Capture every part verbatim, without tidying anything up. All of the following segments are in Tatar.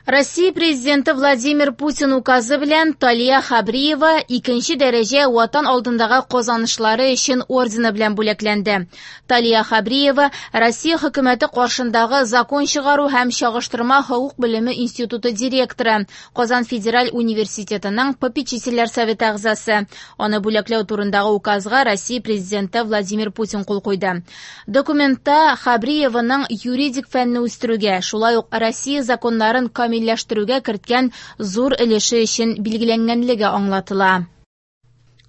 Россия президенты Владимир Путин указы белән Талия Хабриева икенче дәрәҗә Ватан алдындагы казанышлары өчен ордены белән бүләкләнде. Талия Хабриева Россия хөкүмәте каршындагы закон чыгару һәм чагыштырма хокук белеме институты директоры, Казан федераль университетының попечительләр советы әгъзасы. Аны бүләкләү турындагы указга Россия президенты Владимир Путин кул куйды. Документта Хабриеваның юридик фәнне үстерүгә, шулай ук Россия законнарын камилләштерүгә керткән зур өлеше өчен билгеләнгәнлеге аңлатыла.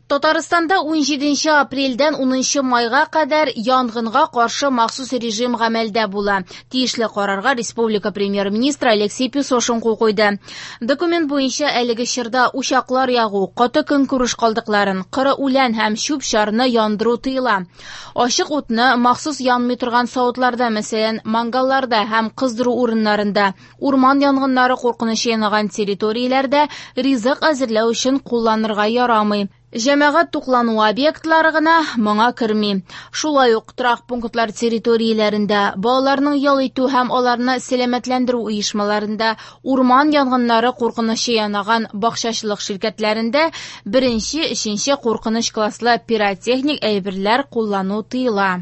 Татарстанда унҗиденче апрельдән унынчы майга кадәр янгынга каршы махсус режим гамәлдә була. Тиешле карарга республика премьер-министры Алексей Песошин кул куйды. Документ буенча әлеге чорда учаклар ягу, каты көнкүреш калдыкларын, коры үлән һәм чүп-чарны яндыру тыела. Ачык утны махсус янмый торган савытларда, мәсәлән, мангалларда һәм кыздыру урыннарында, урман янгыннары куркынычы янаган территорияләрдә ризык әзерләү өчен кулланырга ярамый. Җәмәгать туклану объектлары гына моңа керми. Шулай ук торак пунктлар территорияләрендә, балаларның ял итү һәм аларны сәламәтләндерү оешмаларында, урман янгыннары куркынычы янаган бакчачылык ширкәтләрендә беренче, өченче куркыныч класслы пиротехник әйберләр куллану тыела.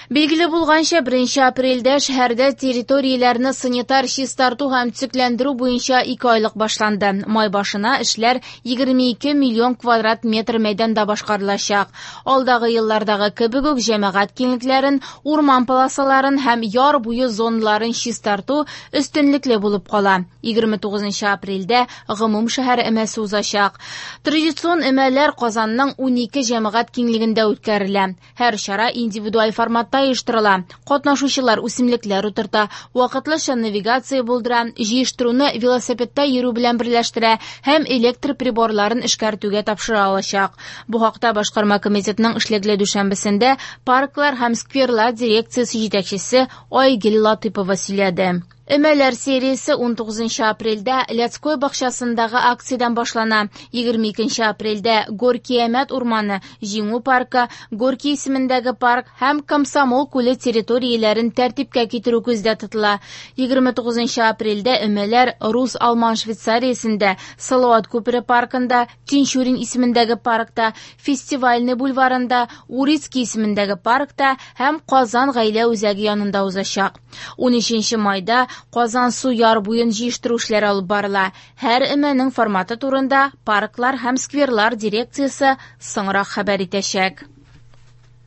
Билгеле булганча, беренче апрельдә шәһәрдә территорияләрне санитар чистарту һәм төзекләндерү буенча ике айлык башланды. Май башына эшләр егерме ике миллион квадрат метр мәйданда башкарылачак. Алдагы еллардагы кебек үк җәмәгать киңлекләрен, урман полосаларын һәм яр буе зоналарын чистарту өстенлекле булып кала. егерме тугызынчы апрельдә гомум шәһәр өмәсе узачак. Традицион өмәләр Казанның унике җәмәгать киңлегендә үткәрелә. Һәр чара индивидуаль форматта оештырыла. Катнашучылар үсемлекләр утырта, вакытлыча навигация булдыра, җыештыруны велосипедта йөрү белән берләштерә һәм электр приборларын эшкәртүгә тапшыра алачак. Бу хакта башкарма комитетның эшлекле дүшәмбесендә парклар һәм скверлар дирекциясе җитәкчесе Айгөл Латыпова сөйләде. Өмәләр сериясе унтугызынчы апрельдә Лядской бакчасындагы акциядән башлана. Егерме икенче апрельдә Горький Әмәт урманы, Җиңү паркы, Горький исемендәге парк һәм Комсомол күле территорияләрен тәртипкә китерү күздә тотыла. Егерме тугызынчы апрельдә өмәләр Рус-Алман Швейцариясендә, Салават күпере паркында, Тинчурин исемендәге паркта, Фестивальный бульварында, Урицкий исемендәге паркта һәм Казан гаилә үзәге янында узачак. Унөченче майда Казан су яр буен җыештыру эшләре алып барыла. Һәр өмәнең форматы турында парклар һәм скверлар дирекциясе соңрак хәбәр итәчәк.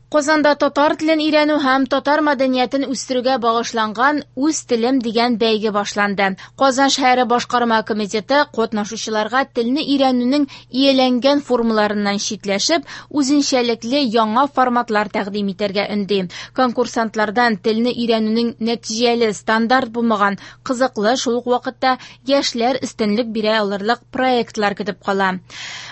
Казанда татар телен өйрәнү һәм татар мәдәниятен үстерүгә багышланган Үз телем дигән бәйге башланды. Казан шәһәре башкарма комитеты катнашучыларга телне өйрәнүнең ияләнгән формаларыннан читләшеп, үзенчәлекле яңа форматлар тәкъдим итәргә өнди. Конкурсантлардан телне өйрәнүнең нәтиҗәле, стандарт булмаган, кызыклы, шул ук вакытта яшьләр өстенлек бирә алырлык проектлар көтеп кала.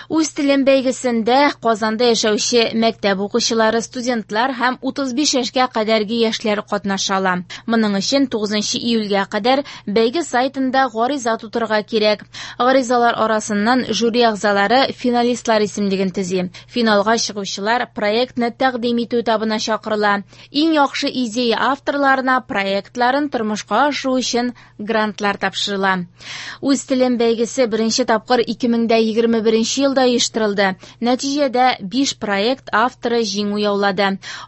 Үз телем бәйгесендә Казанда яшәүче мәктәп укучылары, студентлар һәм утыз биш яшькә кадәрге яшьләр катнаша ала. Моның өчен тугызынчы июльгә кадәр бәйге сайтында гариза тутырырга кирәк. Гаризалар арасыннан жюри әгъзалары финалистлар исемлеген төзи. Финалга чыгучылар проектны тәкъдим итү этабына чакырыла. Иң яхшы идея авторларына проектларын тормышка ашыру өчен грантлар тапшырыла. Үз телем бәйгесе беренче тапкыр ике мең дә егерме беренче елда оештырылды. Нәтиҗәдә биш проект авторы җиңү яулады.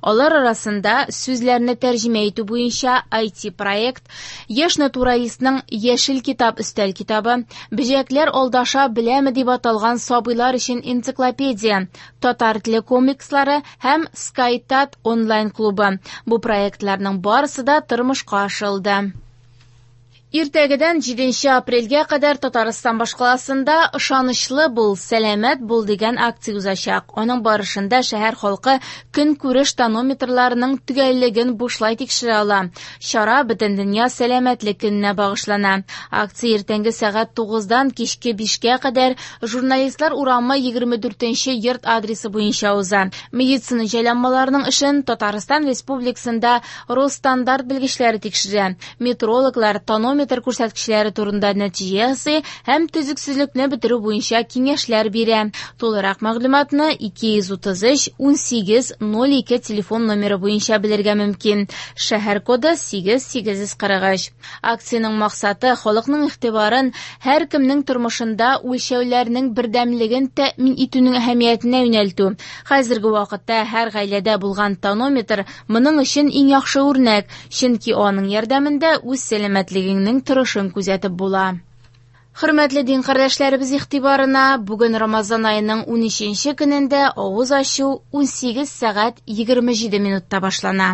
Алар арасында сүзләрне тәрҗемә итү буенча ай ти проект, яшь натуралистның Яшел китап өстәл китабы, Бөҗәкләр алдаша беләме дип аталган сабыйлар өчен энциклопедия, татар теле комикслары һәм SkyTat онлайн клубы. Бу проектларның барысы да тормышка ашырылды. Иртәгедән җиденче апрельгә кадәр Татарстан башкаласында Ышанычлы бул, сәламәт бул дигән акция узачак. Аның барышында шәһәр халкы көнкүреш тонометрларының төгәллеген бушлай тикшерә ала. Чара Бөтендөнья сәламәтлек көненә багышлана. Акция иртәнге сәгать тугыздан кичке бишкә кадәр Журналистлар урамы егерме дүртенче йорт адресы буенча уза. Медицина җайланмаларының эшен Татарстан Республикасында Росстандарт белгечләре тикшерә. Метрологлар тонометр тонометр күрсәткечләре турында нәтиҗә ясый һәм төзексезлекне бетерү буенча киңәшләр бирә. Тулырак мәгълүматны ике йөз утыз өч унсигез ноль ике телефон номеры буенча белергә мөмкин. Шәһәр коды сигез сигез йөз кырык өч. Акциянең максаты халыкның игътибарын һәркемнең тормышында үлчәүләрнең бердәмлеген тәэмин итүнең әһәмиятенә юнәлтү. Хәзерге вакытта һәр гаиләдә булган тонометр моның өчен иң яхшы үрнәк, чөнки аның ярдәмендә үз сәламәтлегеңнең торышын күзәтеп була. Хөрмәтле дин кардәшләребез игътибарына, бүген Рамазан аеның унөченче көнендә авыз ачу унсигез сәгать егерме җиде минутта башлана.